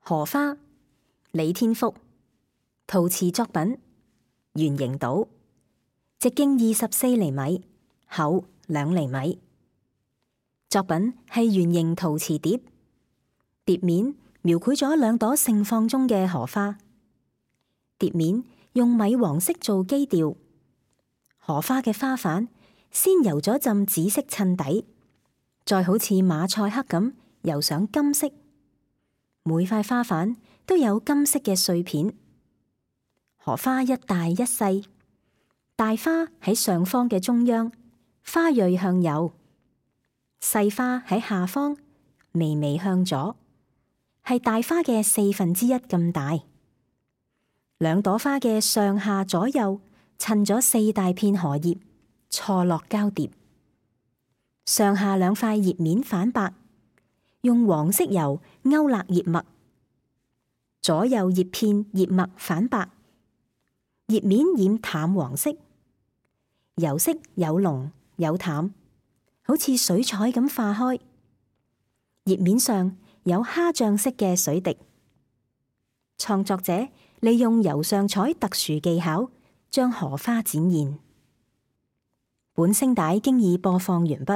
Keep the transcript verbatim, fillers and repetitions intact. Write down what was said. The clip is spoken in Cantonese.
荷花，李天福，陶瓷作品，圓形島，直徑二十四厘米，厚兩厘米。作品係圓形陶瓷碟，碟面描繪咗兩朵盛放中嘅荷花。碟面用米黃色做基調，荷花嘅花瓣先油咗浸紫色襯底，再好似馬賽克咁油上金色。每塊花瓣都有金色嘅碎片。荷花一大一細，大花喺上方嘅中央，花蕊向右；細花喺下方，微微向左，係大花嘅四分之一咁大。兩朵花嘅上下左右襯咗四大片荷葉，錯落交疊。上下兩塊葉面反白，用黃色油勾勒葉脈，左右葉片葉脈反白，葉面染淡黃色，油色有濃有淡，好似水彩咁化開。葉面上有蝦醬色嘅水滴。創作者利用油上彩特殊技巧，將荷花展現。本聲帶經已播放完畢。